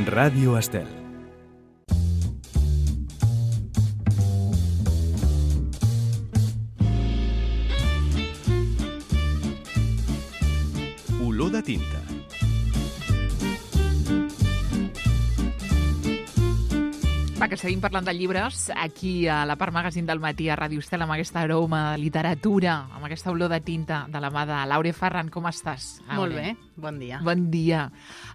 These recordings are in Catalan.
Ràdio Estel. Olor de tinta. Va, que seguim parlant de llibres aquí a la Part Magazine del matí a Ràdio Estel amb aquesta aroma de literatura, amb aquesta olor de tinta de la mà de l'Aure Ferran. Com estàs, Aure? Molt bé, bon dia. Bon dia.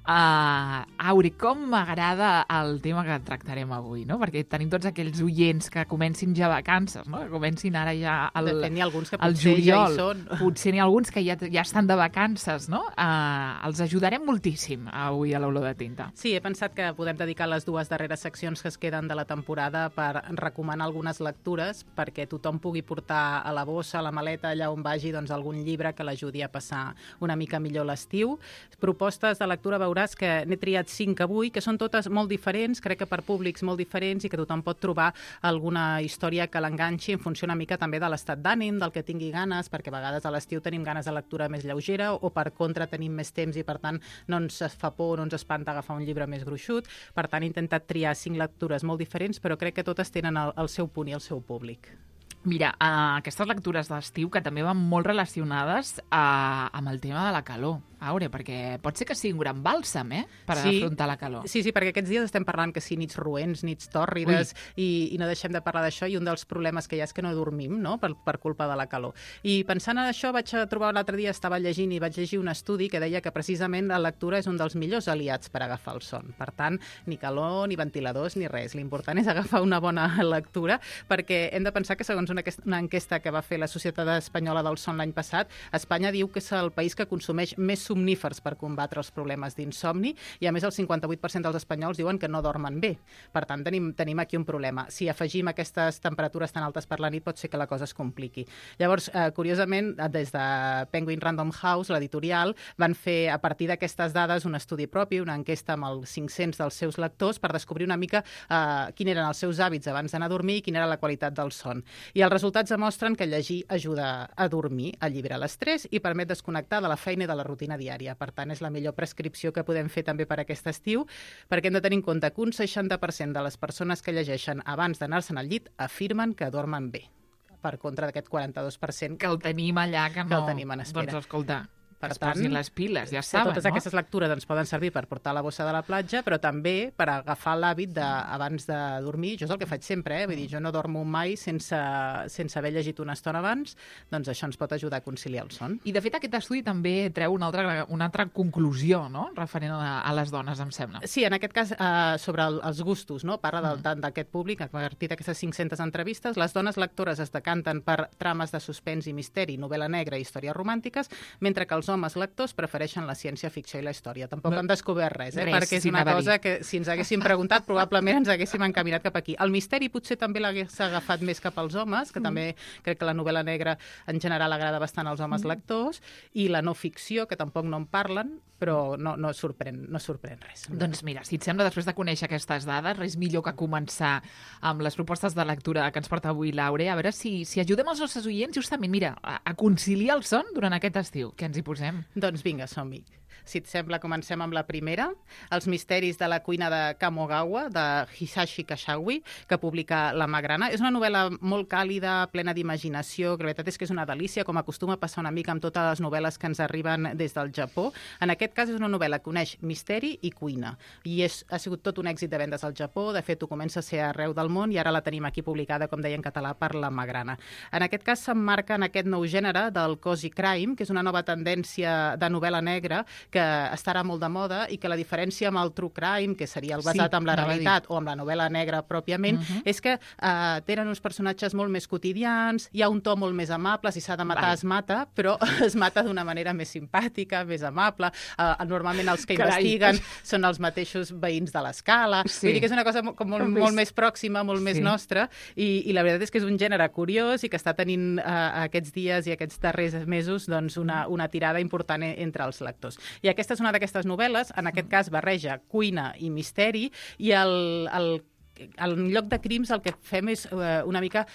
Aure, com m'agrada el tema que tractarem avui, no? Perquè tenim tots aquells oients que comencin ja vacances, no? Que comencin ara ja De fet, n'hi ha alguns que al potser juliol. ja hi són. Potser n'hi ha alguns que ja estan de vacances, no? Els ajudarem moltíssim avui a l'olor de tinta. Sí, he pensat que podem dedicar les dues darreres seccions que es queden de la temporada per recomanar algunes lectures perquè tothom pugui portar a la bossa, a la maleta, allà on vagi, doncs, algun llibre que l'ajudi a passar una mica millor l'estiu. Propostes de lectura veuràs que n'he triat 5 avui, que són totes molt diferents, crec que per públics molt diferents i que tothom pot trobar alguna història que l'enganxi en funció una mica també de l'estat d'ànim, del que tingui ganes, perquè a vegades a l'estiu tenim ganes de lectura més lleugera o per contra tenim més temps i per tant no ens fa por, no ens espanta agafar un llibre més gruixut. Per tant he intentat triar 5 lectures molt diferents, però crec que totes tenen el seu punt i el seu públic. Mira, aquestes lectures d'estiu que també van molt relacionades amb el tema de la calor, Aure, perquè pot ser que sigui un gran bàlsam, per afrontar la calor. Sí, perquè aquests dies estem parlant que sí, nits roents, nits tòrrides, i no deixem de parlar d'això, i un dels problemes que hi ha és que no dormim, no?, per culpa de la calor. I pensant en això vaig trobar l'altre dia, estava llegint i vaig llegir un estudi que deia que precisament la lectura és un dels millors aliats per agafar el son. Per tant, ni calor, ni ventiladors, ni res. L'important és agafar una bona lectura, perquè hem de pensar que segons una enquesta que va fer la Societat Espanyola del Son l'any passat, Espanya diu que és el país que consumeix més somnífers per combatre els problemes d'insomni i, a més, el 58% dels espanyols diuen que no dormen bé. Per tant, tenim aquí un problema. Si afegim aquestes temperatures tan altes per la nit, pot ser que la cosa es compliqui. Llavors, curiosament, des de Penguin Random House, l'editorial, van fer, a partir d'aquestes dades, un estudi propi, una enquesta amb els 500 dels seus lectors per descobrir una mica quins eren els seus hàbits abans d'anar a dormir i quina era la qualitat del son. I els resultats demostren que llegir ajuda a dormir, allibera l'estrès i permet desconnectar de la feina i de la rutina diària. Per tant, és la millor prescripció que podem fer també per aquest estiu, perquè hem de tenir en compte que un 60% de les persones que llegeixen abans d'anar-se'n al llit afirmen que dormen bé, per contra d'aquest 42% que el tenim allà, que no... el tenim en espera. Doncs escolta, per es tant, posin les piles, ja saben, totes aquestes lectures ens poden servir per portar la bossa de la platja, però també per agafar l'hàbit abans de dormir. Jo és el que faig sempre, vull dir, jo no dormo mai sense haver llegit una estona abans, doncs això ens pot ajudar a conciliar el son. I, de fet, aquest estudi també treu una altra conclusió, no?, referent a les dones, em sembla. Sí, en aquest cas, sobre els gustos, no?, parla tant d'aquest públic, a partir d'aquestes 500 entrevistes, les dones lectores es decanten per trames de suspens i misteri, novel·la negra i històries romàntiques, mentre que els homes lectors prefereixen la ciència-ficció i la història. Tampoc hem descobert res, perquè és una cosa que, si ens haguéssim preguntat, probablement ens haguéssim encaminat cap aquí. El misteri potser també l'hagués agafat més cap als homes, que també crec que la novel·la negra en general agrada bastant als homes lectors, i la no ficció, que tampoc no en parlen, però no sorprèn res. Doncs mira, si et sembla, després de conèixer aquestes dades, res millor que començar amb les propostes de lectura que ens porta avui l'Aure, a veure si ajudem els nostres oients justament, mira, a conciliar el son durant aquest estiu. Què ens hi posem? Doncs vinga, som-hi. Si et sembla, comencem amb la primera, Els misteris de la cuina de Kamogawa, de Hisashi Kashawi, que publica La Magrana. És una novel·la molt càlida, plena d'imaginació, que la veritat és que és una delícia, com acostuma a passar una mica amb totes les novel·les que ens arriben des del Japó. En aquest cas és una novel·la que uneix misteri i cuina, i ha sigut tot un èxit de vendes al Japó. De fet, ho comença a ser arreu del món i ara la tenim aquí publicada, com deia, en català per La Magrana. En aquest cas s'emmarca en aquest nou gènere del cozy crime, que és una nova tendència de novel·la negra que estarà molt de moda i que la diferència amb el true crime, que seria el basat en la realitat o amb la novel·la negra pròpiament, és que tenen uns personatges molt més quotidians, hi ha un to molt més amable, si s'ha de matar es mata, però es mata d'una manera més simpàtica, més amable. Normalment els que investiguen són els mateixos veïns de l'escala. Vull dir que és una cosa molt més pròxima, molt més nostra, i la veritat és que és un gènere curiós i que està tenint aquests dies i aquests darrers mesos doncs, una tirada important entre els lectors. I aquesta és una d'aquestes novel·les, en aquest cas barreja cuina i misteri, i el en lloc de crims el que fem és una mica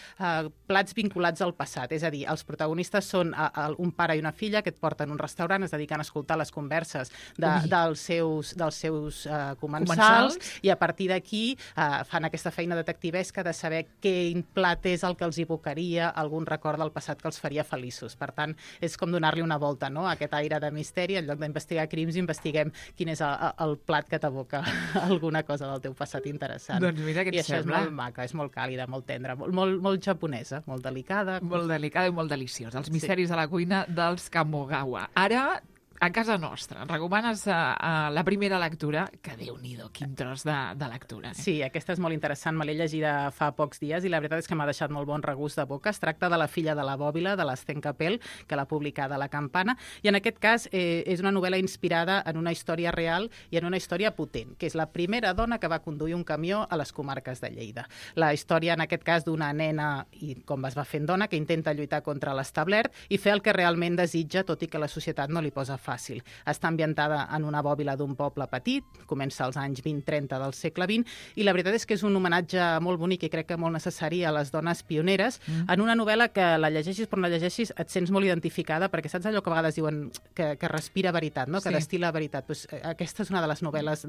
plats vinculats al passat, és a dir, els protagonistes són un pare i una filla que et porten a un restaurant, es dediquen a escoltar les converses dels seus comensals i a partir d'aquí fan aquesta feina detectivesca de saber quin plat és el que els evocaria algun record del passat que els faria feliços. Per tant, és com donar-li una volta, no?, a aquest aire de misteri. En lloc d'investigar crims, investiguem quin és el plat que t'evoca alguna cosa del teu passat interessant. Doncs mira què et això sembla. És molt maca, és molt càlida, molt tendra, molt japonesa, molt delicada. Molt delicada i molt deliciosa. Els misteris de la cuina dels Kamogawa. Ara, a casa nostra, recomanes la primera lectura, que Déu-n'hi-do, quin tros de lectura. Sí, aquesta és molt interessant, me l'he llegida fa pocs dies i la veritat és que m'ha deixat molt bon regust de boca. Es tracta de La filla de la bòbila, de l'Sten Capel, que l'ha publicada La Campana, i en aquest cas és una novel·la inspirada en una història real i en una història potent, que és la primera dona que va conduir un camió a les comarques de Lleida. La història, en aquest cas, d'una nena, i com es va fent dona, que intenta lluitar contra l'establert i fer el que realment desitja, tot i que la societat no li posa fàcil. Està ambientada en una bòbila d'un poble petit, comença als anys 20-30 del segle XX, i la veritat és que és un homenatge molt bonic i crec que molt necessari a les dones pioneres, en una novel·la que la llegeixis però no la llegeixis et sents molt identificada, perquè saps allò que a vegades diuen que respira veritat, no? Que destila veritat. Pues, aquesta és una de les novel·les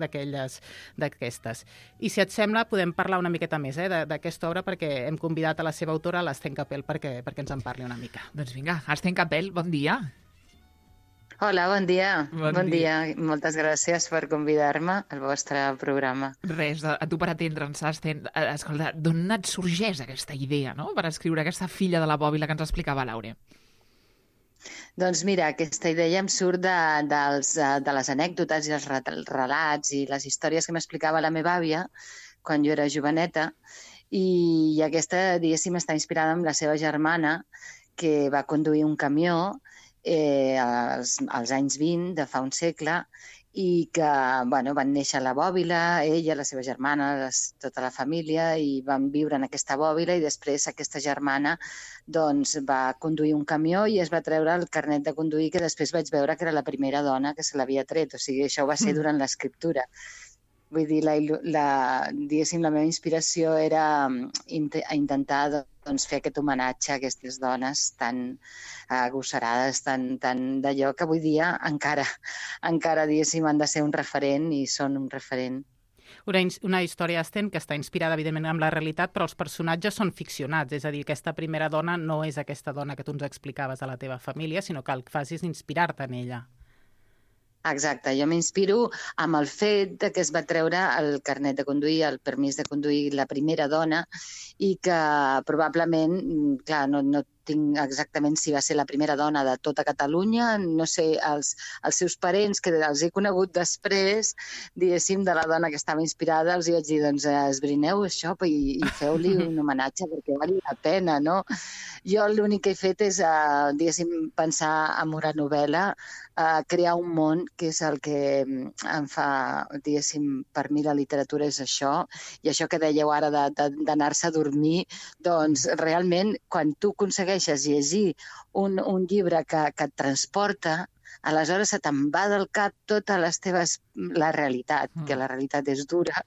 d'aquestes. I si et sembla, podem parlar una miqueta més d'aquesta obra, perquè hem convidat a la seva autora, l'Sten Capel, perquè ens en parli una mica. Doncs vinga, Sten Capel, bon dia. Hola, bon dia. Bon dia. Moltes gràcies per convidar-me al vostre programa. Res, a tu per atendre'ns, Sten. Escolta, d'on et sorgeix aquesta idea, no?, per escriure aquesta filla de la bòbila que ens explicava l'Aure? Doncs mira, aquesta idea em surt de les anècdotes i els relats i les històries que m'explicava la meva àvia quan jo era joveneta, i aquesta, diguéssim, està inspirada en la seva germana, que va conduir un camió als anys 20 de fa un segle, i que van néixer a la bòbila, ella, la seva germana, tota la família, i van viure en aquesta bòbila, i després aquesta germana va conduir un camió i es va treure el carnet de conduir, que després vaig veure que era la primera dona que se l'havia tret. O sigui, això va ser durant l'escriptura. Vull dir, diguéssim, la meva inspiració era intentar fer aquest homenatge a aquestes dones tan agosarades, tan d'allò que avui dia encara, diguéssim, han de ser un referent i són un referent. Una història, Sten, que està inspirada, evidentment, en la realitat, però els personatges són ficcionats. És a dir, aquesta primera dona no és aquesta dona que tu ens explicaves de la teva família, sinó que el que fas és inspirar-te en ella. Exacte, jo m'inspiro amb el fet que es va treure el carnet de conduir, el permís de conduir, la primera dona, i que probablement, clar, no tinc exactament si va ser la primera dona de tota Catalunya, no sé, els seus parents, que els he conegut després, diguéssim, de la dona que estava inspirada, els vaig dir, doncs esbrineu això i feu-li un homenatge perquè vali la pena, no? Jo l'únic que he fet és, diguéssim, pensar en una novel·la, crear un món, que és el que em fa, diguéssim, per mi la literatura és això, i això que dèieu ara d'anar-se a dormir, doncs realment quan tu aconsegueixes llegir un llibre que et transporta, aleshores se te'n va del cap tota la realitat, que la realitat és dura,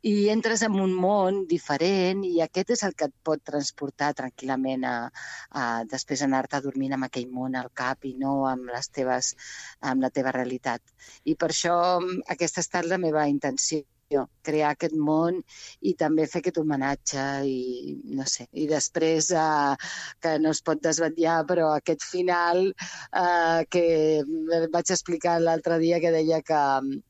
i entres en un món diferent, i aquest és el que et pot transportar tranquil·lament a després anar-te dormint amb aquell món al cap i no amb la teva realitat. I per això aquesta ha estat la meva intenció, crear aquest món i també fer aquest homenatge i no sé, i després que no es pot desvetllar, però aquest final que vaig explicar l'altre dia, que deia que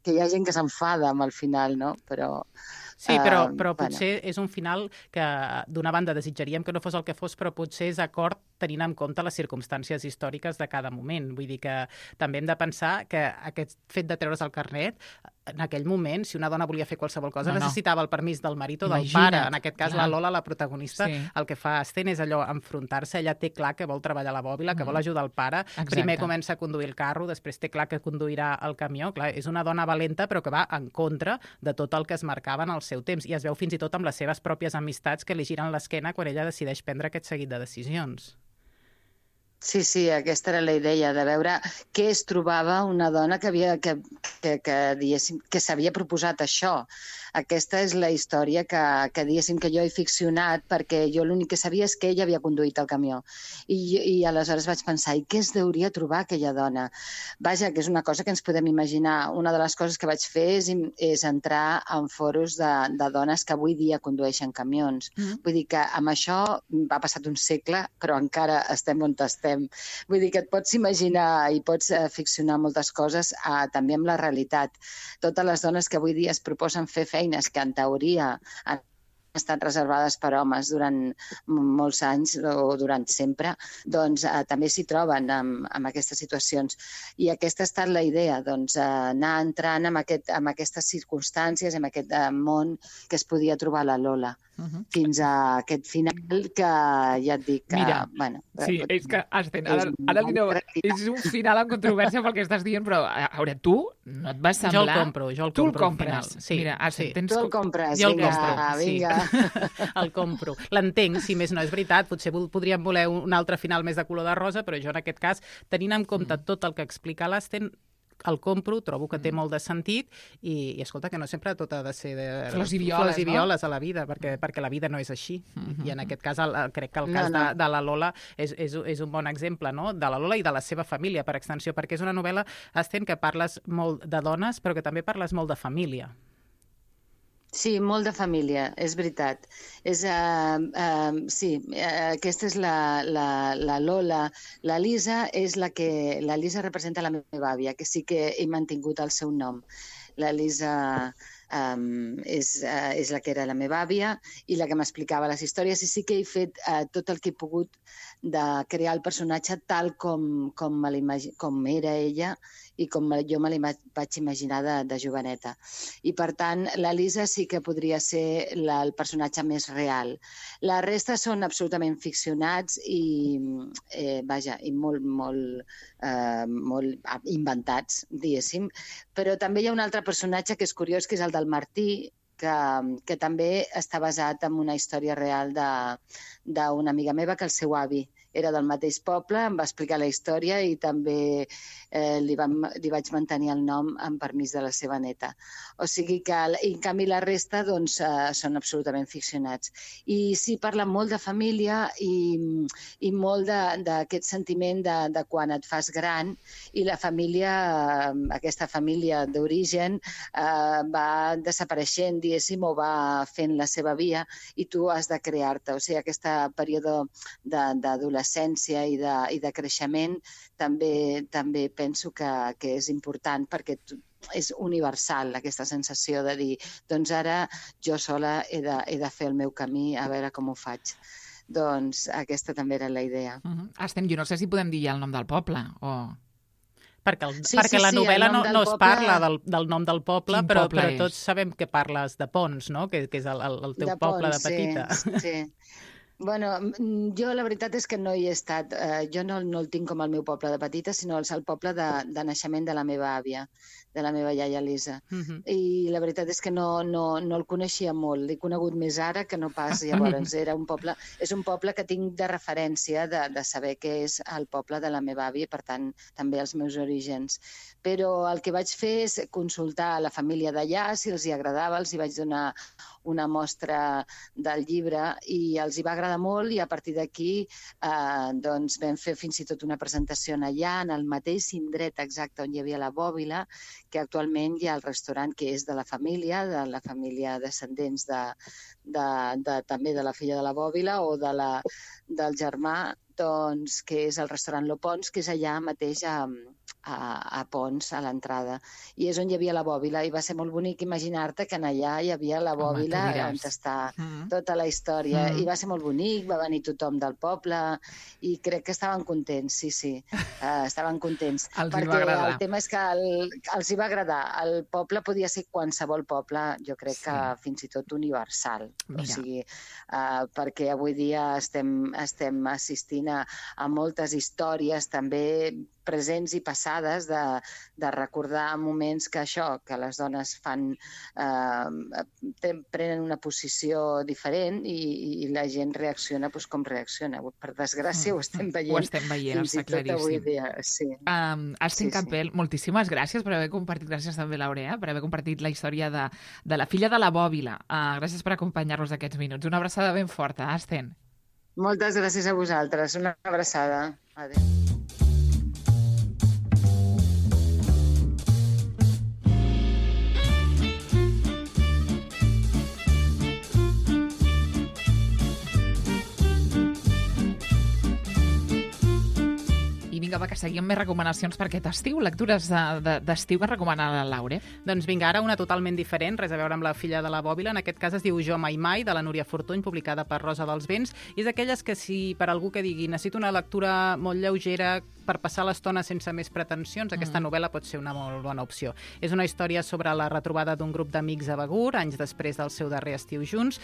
hi ha gent que s'enfada amb el final, no? Però sí, però potser és un final que d'una banda desitjaríem que no fos el que fos, però potser és acord tenint en compte les circumstàncies històriques de cada moment. Vull dir que també hem de pensar que aquest fet de treure's el carnet, en aquell moment, si una dona volia fer qualsevol cosa, necessitava el permís del marit o del pare. En aquest cas, la Lola, la protagonista, el que fa Sten és allò, enfrontar-se. Ella té clar que vol treballar a la bòbila, que vol ajudar el pare. Primer comença a conduir el carro, després té clar que conduirà el camió. Clar, és una dona valenta, però que va en contra de tot el que es marcava en el seu temps. I es veu fins i tot amb les seves pròpies amistats que li giren l'esquena quan ella decideix prendre aquest seguit de decisions. Sí, aquesta era la idea, de veure què es trobava una dona que s'havia proposat això. Aquesta és la història que diguéssim que jo he ficcionat, perquè jo l'únic que sabia és que ella havia conduït el camió. I aleshores vaig pensar, i què es deuria trobar aquella dona? Vaja, que és una cosa que ens podem imaginar. Una de les coses que vaig fer és entrar en foros de dones que avui dia condueixen camions. Vull dir que amb això ha passat un segle, però encara estem on estem. Vull dir que et pots imaginar i pots ficcionar moltes coses també amb la realitat. Totes les dones que avui dia es proposen fer feines que en teoria han estat reservades per homes durant molts anys o durant sempre, doncs també s'hi troben en aquestes situacions. I aquesta ha estat la idea, doncs, anar entrant en aquestes circumstàncies, en aquest món que es podia trobar la Lola. Fins a aquest final que ja et dic que... Mira, bueno, sí, és que ara direu, és un final amb controvèrsia pel que estàs dient, però a veure, tu no et vas semblar... Jo el compro Tu el al compres. final. Sí, mira, sí. Tu el compres, jo el vinga, compro, vinga. Sí. El compro. L'entenc, si més no és veritat, potser podríem voler un altre final més de color de rosa, però jo en aquest cas, tenint en compte tot el que explica l'Asten, el compro, trobo que té molt de sentit i escolta, que no sempre tot ha de ser de flors i violes, a la vida, perquè la vida no és així. I en aquest cas, crec que el cas de la Lola és un bon exemple, no? De la Lola i de la seva família, per extensió, perquè és una novel·la, Asten, que parles molt de dones, però que també parles molt de família. Sí, molt de família, és veritat. Sí, aquesta és la Lola. La Lisa la Lisa representa la meva àvia, que sí que he mantingut el seu nom. La Lisa és la que era la meva àvia i la que m'explicava les històries, i sí que he fet tot el que he pogut de crear el personatge tal com era ella i com jo me la vaig imaginar de joveneta. I, per tant, la Lisa sí que podria ser el personatge més real. La resta són absolutament ficcionats i, i molt inventats, diguéssim. Però també hi ha un altre personatge que és curiós, que és el del Martí, que també està basat en una història real d'una amiga meva, que el seu avi era del mateix poble, em va explicar la història i també li vaig mantenir el nom en permís de la seva neta. O sigui que, en canvi, la resta doncs, són absolutament ficcionats. I sí, parla molt de família i molt d'aquest sentiment de quan et fas gran i la família, aquesta família d'origen, va desapareixent, diguéssim, o va fent la seva via i tu has de crear-te. O sigui, aquest període d'adolescència i de creixement també penso que és important, perquè és universal aquesta sensació de dir, doncs ara jo sola he de fer el meu camí, a veure com ho faig. Doncs aquesta també era la idea. Estem, jo no sé si podem dir ja el nom del poble, o... Perquè la novel·la no es parla del nom del poble, però tots sabem que parles de Ponts, no? Que és el teu poble de petita. Sí. Bueno, jo la veritat és que no hi he estat. Jo no el tinc com el meu poble de petita, sinó el poble de naixement de la meva àvia, de la meva iaia Lisa. I la veritat és que no el coneixia molt. L'he conegut més ara que no pas llavors. És un poble que tinc de referència de saber que és el poble de la meva àvia, per tant, també els meus orígens. Però el que vaig fer és consultar la família d'allà, si els hi agradava, els hi vaig donar una mostra del llibre i els hi va agradar molt, i a partir d'aquí doncs vam fer fins i tot una presentació allà, en el mateix indret exacte on hi havia la bòbila, que actualment hi ha el restaurant que és de la família descendents també de la filla de la bòbila o del germà, doncs, que és el restaurant Lo Pons, que és allà mateix a Pons, a l'entrada. I és on hi havia la bòbila, i va ser molt bonic imaginar-te que allà hi havia la bòbila on està tota la història. I va ser molt bonic, va venir tothom del poble, i crec que estaven contents, sí. Estaven contents. Perquè el tema és que els hi va agradar. El poble podia ser qualsevol poble, jo crec que fins i tot universal. O sigui, perquè avui dia estem assistint a moltes històries també presents i passades, de recordar moments que que les dones prenen una posició diferent i la gent reacciona com reacciona. Per desgràcia ho estem veient. Ho estem veient, fins i està tot avui claríssim. dia. Sí. Estem Campbell, moltíssimes gràcies per haver compartit, gràcies també Laura, per haver compartit la història de la filla de la bòbila. Gràcies per acompanyar-nos aquests minuts. Una abraçada ben forta, Asten. Moltes gràcies a vosaltres. Una abraçada. Adéu. I vinga, va, que seguim més recomanacions per aquest estiu. Lectures d'estiu que recomana la Laura. Doncs vinga, ara una totalment diferent, res a veure amb la filla de la bòbila. En aquest cas es diu Jo mai mai, de la Núria Fortuny, publicada per Rosa dels Vents. I és d'aquelles que si per algú que digui necessito una lectura molt lleugera per passar l'estona sense més pretensions, aquesta novel·la pot ser una molt bona opció. És una història sobre la retrobada d'un grup d'amics a Begur, anys després del seu darrer estiu junts.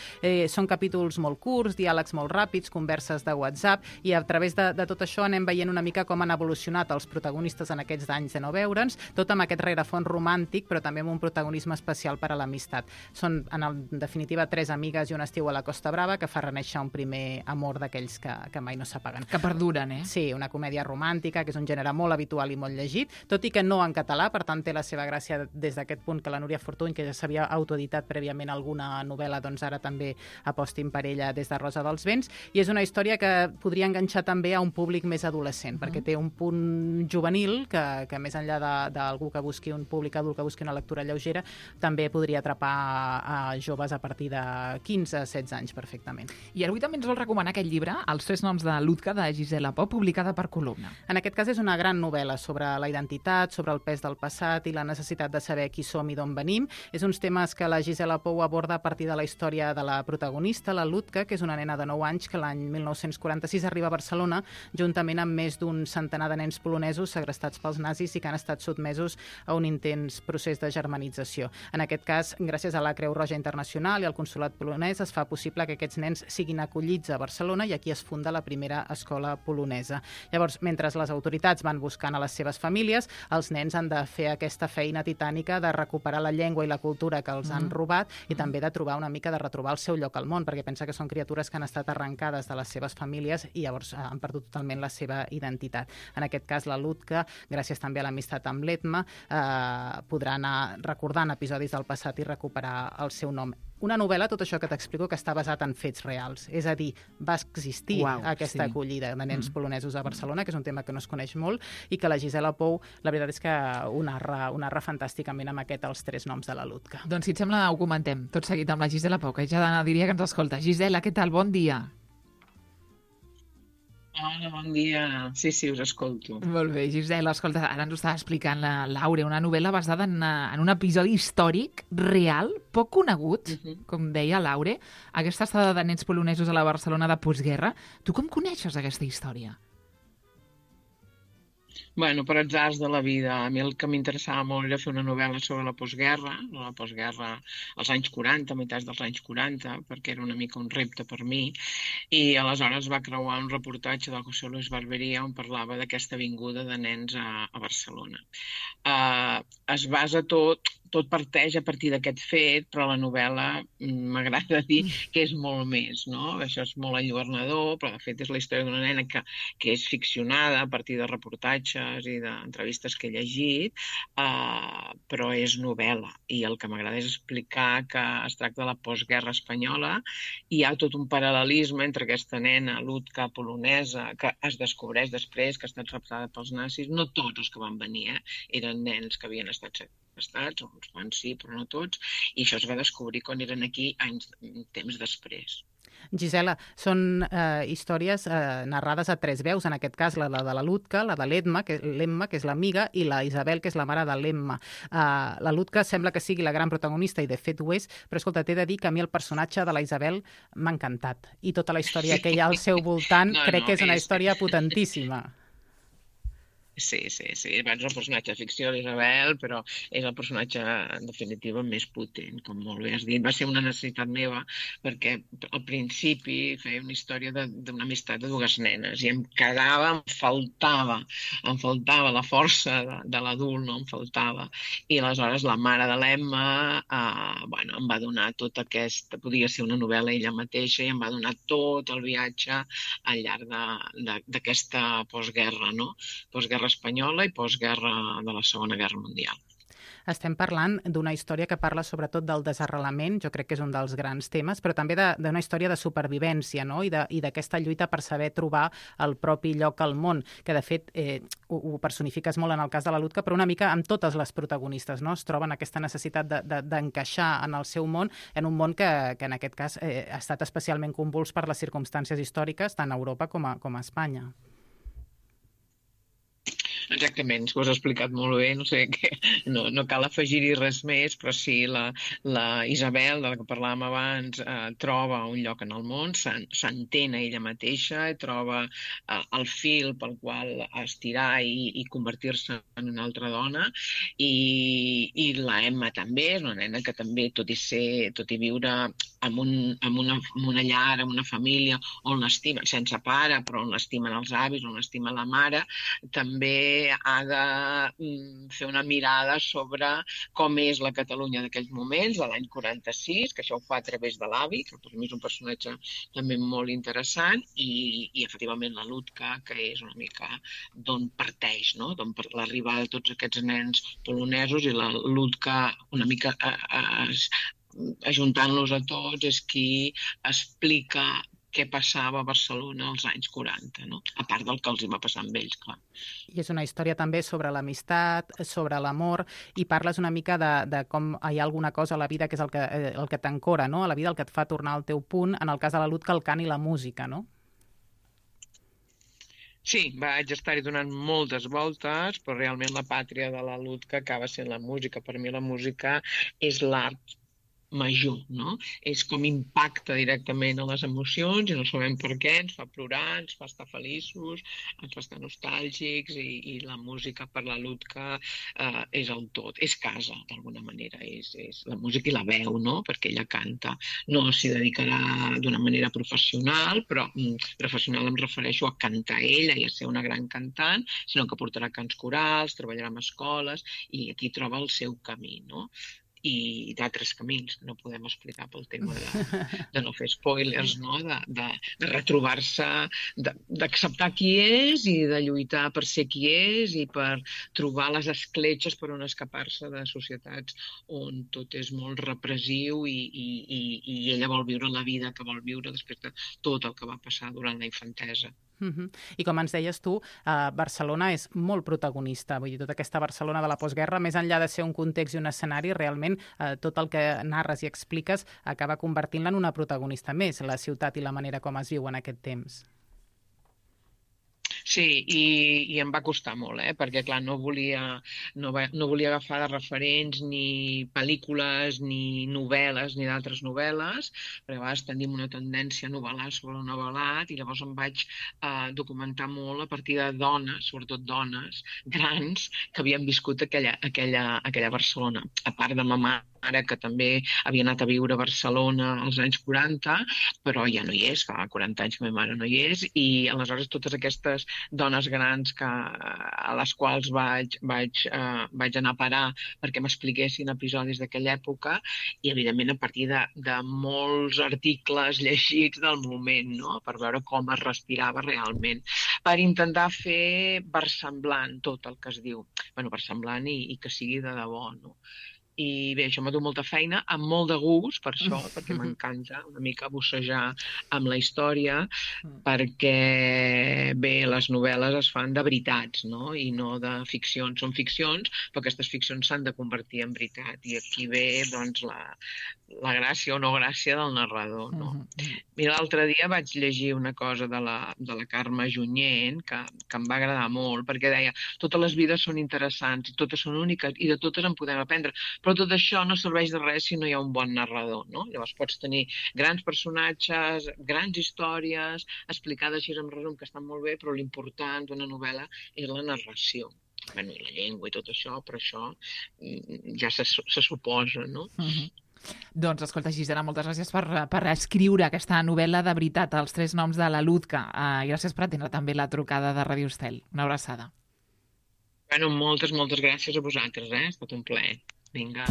Són capítols molt curts, diàlegs molt ràpids, converses de WhatsApp, i a través de tot això anem veient una mica com han evolucionat els protagonistes en aquests anys de no veure'ns, tot amb aquest rerefons romàntic, però també amb un protagonisme especial per a l'amistat. Són, en definitiva, 3 amigues i un estiu a la Costa Brava que fa reneixer un primer amor d'aquells que mai no s'apaguen. Que perduren, eh? Sí, una comèdia romàntica, que és un gènere molt habitual i molt llegit, tot i que no en català, per tant té la seva gràcia des d'aquest punt que la Núria Fortuny, que ja s'havia autoeditat prèviament alguna novel·la, doncs ara també apostin per ella des de Rosa dels Vents, i és una història que podria enganxar també a un públic més adolescent, perquè té un punt juvenil que més enllà d'algú que busqui un públic adult que busqui una lectura lleugera, també podria atrapar a joves a partir de 15-16 anys perfectament. I avui també ens vol recomanar aquest llibre, Els 3 noms de Lutka, de Gisela Pau, publicada per Columna. En aquest cas és una gran novel·la sobre la identitat, sobre el pes del passat i la necessitat de saber qui som i d'on venim. És uns temes que la Gisela Pau aborda a partir de la història de la protagonista, la Lutka, que és una nena de 9 anys que l'any 1946 arriba a Barcelona juntament amb més d'un centenar de nens polonesos segrestats pels nazis i que han estat sotmesos a un intens procés de germanització. En aquest cas, gràcies a la Creu Roja Internacional i al Consolat polonès, es fa possible que aquests nens siguin acollits a Barcelona i aquí es funda la primera escola polonesa. Llavors, mentre les autoritats van buscant a les seves famílies, els nens han de fer aquesta feina titànica de recuperar la llengua i la cultura que els han robat i també de trobar una mica de retrobar el seu lloc al món, perquè pensa que són criatures que han estat arrencades de les seves famílies i llavors han perdut totalment la seva identitat. En aquest cas, la Lutka, gràcies també a l'amistat amb l'Etma, podrà anar recordant episodis del passat i recuperar el seu nom. Una novel·la, tot això que t'explico, que està basat en fets reals. És a dir, va existir aquesta acollida de nens polonesos a Barcelona, que és un tema que no es coneix molt, i que la Gisela Pou, la veritat és que ho narra fantàsticament amb Els 3 noms de la Lutka. Doncs si et sembla, ho comentem tot seguit amb la Gisela Pau, que ja diria que ens escolta. Gisela, què tal? Bon dia. Hola, bon dia. Sí, us escolto. Molt bé, Gisela, escolta, ara ens ho estava explicant la Laura, una novel·la basada en un episodi històric, real, poc conegut, com deia Laura, aquesta estada de nens polonesos a la Barcelona de postguerra. Tu com coneixes aquesta història? Bueno, per atzars de la vida. A mi el que m'interessava molt era fer una novel·la sobre la postguerra als anys 40, a meitats dels anys 40, perquè era una mica un repte per mi, i aleshores va creuar un reportatge del José Luis Barbería on parlava d'aquesta vinguda de nens a Barcelona. Es basa tot parteix a partir d'aquest fet, però la novel·la m'agrada dir que és molt més, no? Això és molt enlluernador, però de fet és la història d'una nena que és ficcionada a partir de reportatges i d'entrevistes que he llegit, però és novel·la. I el que m'agrada és explicar que es tracta de la postguerra espanyola i hi ha tot un paral·lelisme entre aquesta nena, Lutka, polonesa, que es descobreix després que ha estat raptada pels nazis. No tots els que van venir, eren nens que havien estat segrestats, uns quants sí, però no tots, i això es va descobrir quan eren aquí temps després. Gisela, són històries narrades a 3 veus, en aquest cas la de la Lutka, la de l'Emma, que és l'amiga, i la Isabel, que és la mare de l'Emma. La Lutka sembla que sigui la gran protagonista, i de fet ho és, però escolta, t'he de dir que a mi el personatge de la Isabel m'ha encantat, i tota la història que hi ha al seu voltant crec que és una història potentíssima. Sí. Abans el personatge de ficció, l'Isabel, però és el personatge, en definitiva, més potent, com molt bé has dit. Va ser una necessitat meva, perquè al principi feia una història d'una amistat de dues nenes i em quedava, em faltava la força de l'adult, no? Em faltava. I aleshores la mare de l'Emma em va donar tot aquest... Podia ser una novel·la ella mateixa i em va donar tot el viatge al llarg d'aquesta postguerra, no? Postguerra espanyola i postguerra de la Segona Guerra Mundial. Estem parlant d'una història que parla sobretot del desarrelament, jo crec que és un dels grans temes, però també d'una història de supervivència, no? I d'aquesta lluita per saber trobar el propi lloc al món, que de fet ho personifiques molt en el cas de la Ludka, però una mica amb totes les protagonistes, no? Es troben aquesta necessitat d'encaixar en el seu món, en un món que en aquest cas ha estat especialment convuls per les circumstàncies històriques tant a Europa com a Espanya. Exactament, ho has explicat molt bé, no sé, no cal afegir-hi res més, però sí, la Isabel, de la que parlàvem abans, troba un lloc en el món, s'entén a ella mateixa, troba el fil pel qual estirar i convertir-se en una altra dona, i la Emma també, és una nena que també, tot i viure en una llar, en una família on l'estima, sense pare, però on l'estimen els avis, on l'estima la mare, també ha de fer una mirada sobre com és la Catalunya d'aquells moments, de l'any 46, que això ho fa a través de l'avi, que per mi és un personatge també molt interessant, i efectivament la Ludka, que és una mica d'on parteix, no? D'on l'arribada de tots aquests nens polonesos, i la Ludka una mica ajuntant-los a tots és qui explica què passava a Barcelona als anys 40, no? A part del que els hi va passar amb ells, clar. I és una història també sobre l'amistat, sobre l'amor, i parles una mica de com hi ha alguna cosa a la vida que és el que t'ancora, no? A la vida, el que et fa tornar al teu punt, en el cas de la Ludka, el cant i la música, no? Sí, vaig estar-hi donant moltes voltes, però realment la pàtria de la Ludka acaba sent la música. Per mi la música és l'art major, no? És com impacta directament a les emocions i no sabem per què, ens fa plorar, ens fa estar feliços, ens fa estar nostàlgics, i la música per la Ludka és el tot, és casa d'alguna manera, és la música i la veu, no? Perquè ella canta, no s'hi dedicarà d'una manera professional, però professional em refereixo a cantar ella i a ser una gran cantant, sinó que portarà cants corals, treballarà en escoles i aquí troba el seu camí, no? I d'altres camins que no podem explicar pel tema de no fer spoilers, no? De retrobar-se, d'acceptar qui és i de lluitar per ser qui és i per trobar les escletxes per on escapar-se de societats on tot és molt repressiu i ella vol viure la vida que vol viure després de tot el que va passar durant la infantesa. I com ens deies tu, Barcelona és molt protagonista, vull dir, tota aquesta Barcelona de la postguerra, més enllà de ser un context i un escenari, realment tot el que narres i expliques acaba convertint-la en una protagonista més, la ciutat i la manera com es viu en aquest temps. Sí, i em va costar molt, perquè clar, no volia agafar de referents ni pel·lícules, ni novel·les, ni d'altres novel·les, perquè a vegades tenim una tendència a novel·lar sobre un novel·lat, i llavors em vaig documentar molt a partir de dones, sobretot dones grans, que havien viscut aquella Barcelona. A part de ma mare, que també havia anat a viure a Barcelona als anys 40, però ja no hi és, fa 40 anys que ma mare no hi és, i aleshores totes aquestes dones grans a les quals vaig anar a parar perquè m'expliquessin episodis d'aquella època, i evidentment a partir de molts articles llegits del moment, no? Per veure com es respirava realment, per intentar fer versemblant tot el que es diu, versemblant i que sigui de debò, no? I bé, això m'ha dut molta feina, amb molt de gust, per això, perquè m'encanta una mica bussejar amb la història, perquè, bé, les novel·les es fan de veritats, no? I no de ficcions. Són ficcions, però aquestes ficcions s'han de convertir en veritat. I aquí ve, doncs, la gràcia o no gràcia del narrador, no? Mira, l'altre dia vaig llegir una cosa de la Carme Junyent que em va agradar molt, perquè deia, totes les vides són interessants i totes són úniques i de totes en podem aprendre, però però tot això no serveix de res si no hi ha un bon narrador, no? Llavors pots tenir grans personatges, grans històries, explicades així en resum, que estan molt bé, però l'important d'una novel·la és la narració. Bueno, i la llengua i tot això, però això ja se suposa, no? Doncs, escolta, Gisela, moltes gràcies per escriure aquesta novel·la de veritat, Els tres noms de la Ludca. I gràcies per atendre també la trucada de Radio Estel. Una abraçada. Bueno, moltes gràcies a vosaltres, ha estat un plaer. Vinga.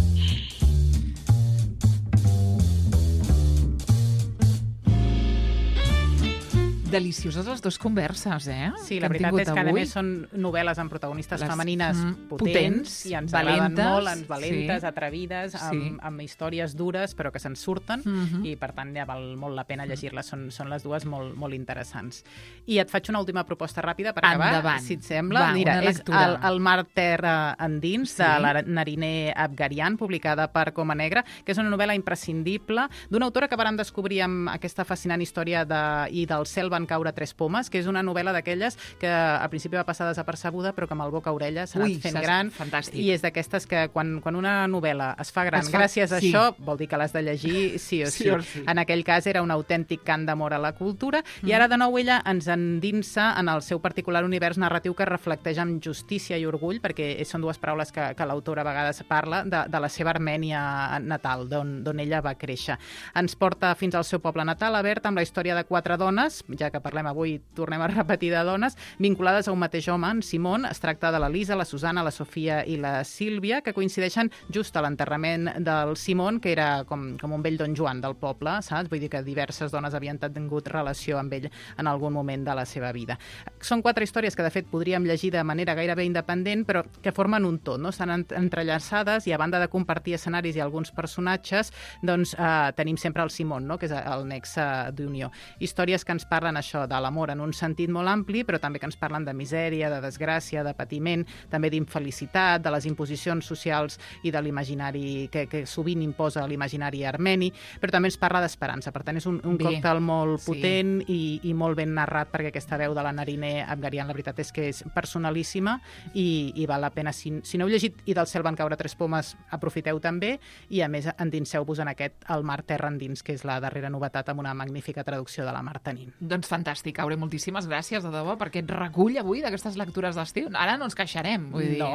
Delicioses les dues converses, Sí, la veritat és que a més són novel·les amb protagonistes femenines potents i ens agraden molt, valentes, atrevides, amb històries dures però que se'n surten i per tant ja val molt la pena llegir-les, són les dues molt interessants. I et faig una última proposta ràpida per acabar, si et sembla. Mira, és El mar terra endins, de la Nariner Abgarian, publicada per Coma Negra, que és una novel·la imprescindible d'una autora que vàrem descobrir amb aquesta fascinant història i del cel van caure tres pomes, que és una novel·la d'aquelles que al principi va passar desapercebuda però que amb el boca-orella s'ha anat fent gran. Fantàstic. I és d'aquestes que quan una novel·la es fa gran gràcies a això, vol dir que l'has de llegir sí o sí. En aquell cas era un autèntic cant d'amor a la cultura i ara de nou ella ens endinsa en el seu particular univers narratiu que reflecteix amb justícia i orgull, perquè són dues paraules que l'autora a vegades parla, de la seva Armènia natal, d'on ella va créixer. Ens porta fins al seu poble natal, a Bert, amb la història de 4 dones, ja que parlem avui, tornem a repetir de dones, vinculades a un mateix home, en Simon. Es tracta de la Lisa, la Susana, la Sofia i la Sílvia, que coincideixen just a l'enterrament del Simon, que era com un vell Don Joan del poble, saps? Vull dir que diverses dones havien tingut relació amb ell en algun moment de la seva vida. Són 4 històries que, de fet, podríem llegir de manera gairebé independent, però que formen un tot, no? Estan entrellaçades i, a banda de compartir escenaris i alguns personatges, doncs tenim sempre el Simon, no? Que és el nexe d'unió. Històries que ens parlen això de l'amor en un sentit molt ampli, però també que ens parlen de misèria, de desgràcia, de patiment, també d'infelicitat, de les imposicions socials i de l'imaginari que sovint imposa l'imaginari armeni, però també ens parla d'esperança. Per tant, és un còctel molt potent i molt ben narrat, perquè aquesta veu de la Nariner Abgarian, la veritat és que és personalíssima i val la pena. Si no heu llegit I del cel van caure tres pomes, aprofiteu també, i a més endinseu-vos en aquest El mar terra endins, que és la darrera novetat amb una magnífica traducció de la Marta Nin. Doncs fantàstic, Aure, moltíssimes gràcies, de debò, per aquest recull avui d'aquestes lectures d'estiu. Ara no ens queixarem, vull dir. No,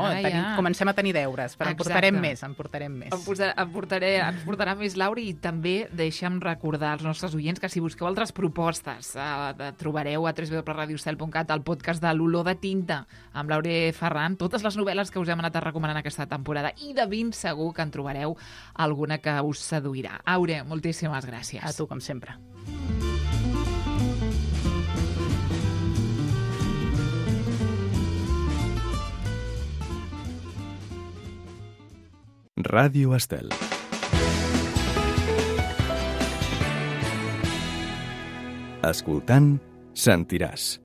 comencem a tenir deures, però en portarem més. Ens portarà més, Laura, i també deixa'm recordar als nostres oients que si busqueu altres propostes trobareu a www.radiostel.cat el podcast de l'Olor de tinta amb l'Aure Ferran, totes les novel·les que us hem anat recomanant aquesta temporada, i de ben segur que en trobareu alguna que us seduirà. Aure, moltíssimes gràcies. A tu, com sempre. Ràdio Estel. Escoltant, sentiràs.